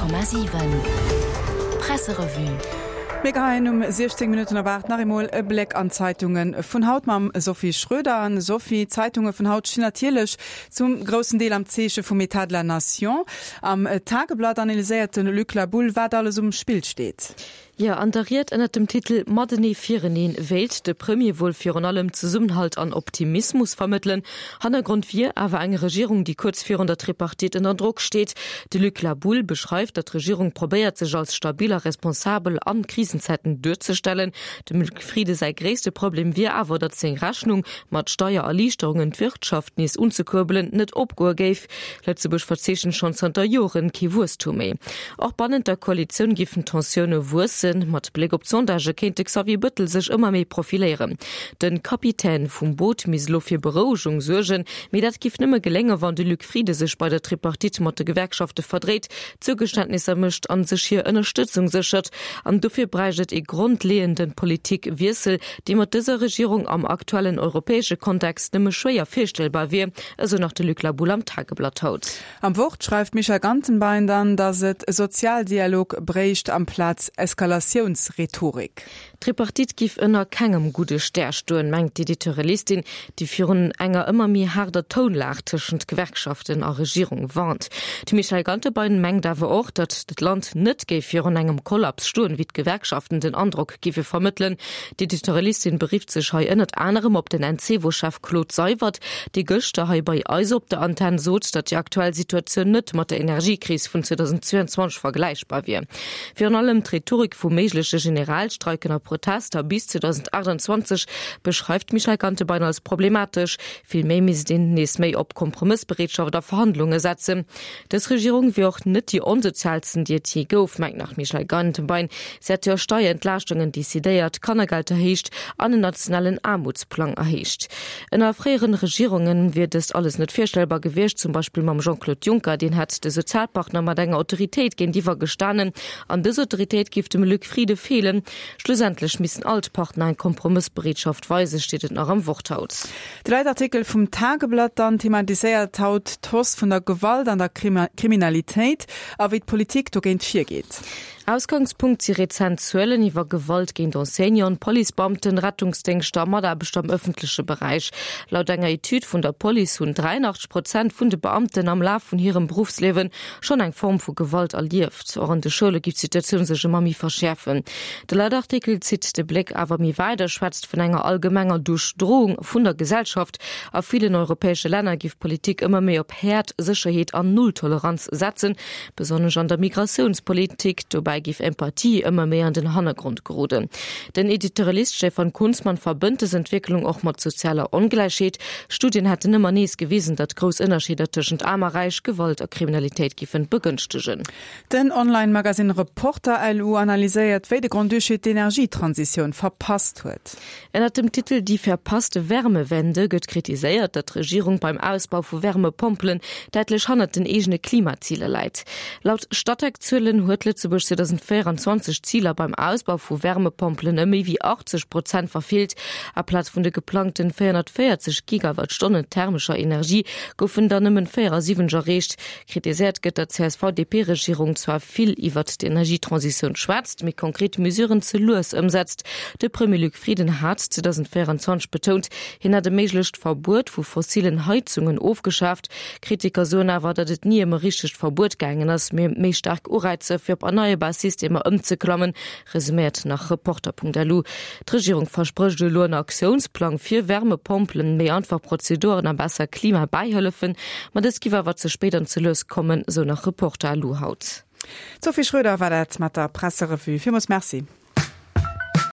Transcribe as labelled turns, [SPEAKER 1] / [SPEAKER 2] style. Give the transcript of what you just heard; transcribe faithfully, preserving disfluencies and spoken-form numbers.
[SPEAKER 1] Honnert Komma siwen Presserevue.
[SPEAKER 2] Mir geheien um siechzéng Minutten op aacht nach eemol e Bléck an d'Zeitunge vun haut mam Sophie Schröder. An Sophie, d'Zeitunge vun haut stinn natierlech zum groussen Deel am Zeeche vum État de la Nation. Am Tageblatt analyséiert de Luc La Boule, wat alles um Spill steet.
[SPEAKER 3] Jo, an der Ried ënnert dem Titel Matenee fireneen wéilt de Premier wuel virun allem Zesummenhalt an Optimismus vermëttelen. Hannergrond wier awer eng Regierung, déi kuerz virun der Tripartite ënner Drock steet. De Luc La Boule beschreift, datt d'Regierung probéiert, sech als stabil a responsabel an Krisenzäiten duerzestellen. Dem Luc Frieden säi gréisste Problem wier awer, datt seng Rechnung, mat Steiererliichterungen d'Wirtschaft nees unzekuerbelen, net opgoe géif. Lëtzebuerg verzeechent schonn zanter Joren kee Wuesstum méi. Och bannent der Koalitioun géifen d'Tensioune wuessen. Mat Bléck op d'Sondagë kéint de Xavier Bëttel sech ëmmer méi profiléieren. De Kapitän vum Boot misst elo fir Berouegung suergen, mee dat giff nëmme geléngen, wann de Luc Frieden sech bei der Tripartite mat de Gewerkschafte verdréit, Zougeständnisser mécht an sech hir Ënnerstëtzung séchert. An dofir bräicht et ee grondleeënde Politikwiessel, dee mat dëser Regierung am aktuellen europäesche Kontext nëmme schwéier virstellbar wier, esou nach de Luc La Boule am Tageblatt haut.
[SPEAKER 2] Am Wort schreift d'Michèle Gantenbein dann, datt et Sozialdialog bréicht amplaz Eskalatiounsrhetorik.
[SPEAKER 3] D'Tripartite giff ënner kengem gudde Stär stoen, mengt d'Editorialistin, déi virun enger ëmmer méi haarder Tounlag tëschent Gewerkschaften a Regierung warnt. D'Michèle Gantenbein mengt awer och, datt d'Land net géif virun engem Kollaps stoen, wéi d'Gewerkschaften den Androck giffe vermëttelen. D'Editorialistin berifft sech hei ënnert anerem op den Encevo-Chef Claude Seywert, dee gëschter hei bei eis op der Antenn sot, datt déi aktuell Situatioun net mat der Energiekris vun zweedausendzweianzwanzeg vergläichbar wier. Virun allem d'Rhetorik vu méigleche Generalstreiken a Protester bis zweedausendachtanzwanzeg beschreift d'Michèle Gantebein als problematesch. Vill méi misst een nees méi op Kompromëssbereetschaft a Verhandlunge setzen. Dës Regierung wier och net déi onsoziaalsten, déi et jee gouf, mengt nach d'Michèle Gantebein. Si hätt jo Steierentlaaschtunge decidéiert, Kannergeld erhéicht an en nationalen Aarmutsplang erhéicht. Ënner fréieren Regierunge wier dëst alles net virstellbar gewiescht, zum Beispill mam Jean-Claude Juncker. Deen hätt de Sozialpartner mat enger Autoritéit géintiwwer gestanen an dës Autoritéit géif dem Luc Frieden feelen. Schlussendlech missten all d'Partner eng Kompromëssbereetschaft weisen, steet et nach am Wort haut.
[SPEAKER 2] De Leitartikel vum Tageblatt dann thematiséiert haut d'Hausse vun der Gewalt an der Kriminalitéit a wéi d'Politik dogéint virgeet.
[SPEAKER 3] Ausgangspunkt si rezent Zuelen iwwer Gewalt géint Enseignanten, Policebeamten, Rettungsdéngschter a Mataarbechter am ëffentleche Beräich. Laut enger Etüd vun der Police hunn dräiannachteg Prozent vun de Beamten am Laf vun hirem Beruffsliewe schonn eng Form vu Gewalt erlieft. Och an de Schoule giff d'Situatioun sech ëmmer méi verschäerfen. De Leitartikel zitt de Bléck awer méi wäit a schwätzt vun enger allgemenger Duerchdroung vun der Gesellschaft. A villen europäesche Länner giff d'Politik ëmmer méi op Häert, Sécherheet an Nulltoleranz setzen, besonnesch an der Migratiounspolitik. Dobäi géif Empathie ëmmer méi an den Hannergrond geroden. Den Editorialist Stefan Kunzmann verbënnt dës Entwécklung och mat sozialer Ongläichheet. Studien hätten ëmmer nees gewisen, datt grouss Ënnerscheeder tëschent Aarm a Räich Gewalt a Kriminalitéit giffen begënschtegen.
[SPEAKER 2] Den Online-Magasinn Reporter L U analyséiert, wéi de Grand-Duché d'Energietransitioun verpasst huet.
[SPEAKER 3] Ënnert dem Titel Die verpasste Wärmewende gëtt kritiséiert, datt d'Regierung beim Ausbau vu Wärmepompelen däitlech hannert den eegene Klimaziler läit. Laut Statec-Zuelen huet Lëtzebuerg zweedausendvéieranzwanzeg d'Ziler beim Ausbau vu Wärmepompelen ëm méi wéi achtzeg Prozent verfeelt. Aplaz vun de geplangten véierhonnertvéierzeg Gigawattstonnen thermescher Energie goufen der nëmmen véierasiwwenzeg erreecht. Kritiséiert gëtt, datt d'C S V D P-Regierung zwar vill iwwert d'Energietransitioun schwätzt, mee konkret Mesuren ze lues ëmsetzt. De Premier Luc Frieden hat zweedausendvéieranzwanzeg betount, hien hätt e méiglecht Verbuet vu fossilen Heizungen ofgeschaaft. Kritiker soen awer, datt et ni ëm e richtegt Verbuet gaangen ass, mee ëm méi staark Ureizer fir op erneierbar Systemer ëmzeklammen, resuméiert nach Reporter Punkt L U. D'Regierung versprécht elo en Aktiounsplang fir Wärmepompelen, méi einfach Prozeduren a besser Klimabäihëllefen, ma dës giff awer ze spéit an ze lues kommen, sou nach Reporter L U haut.
[SPEAKER 2] D'Sophie Schröder war dat mat der Presserevue. Villmools Merci.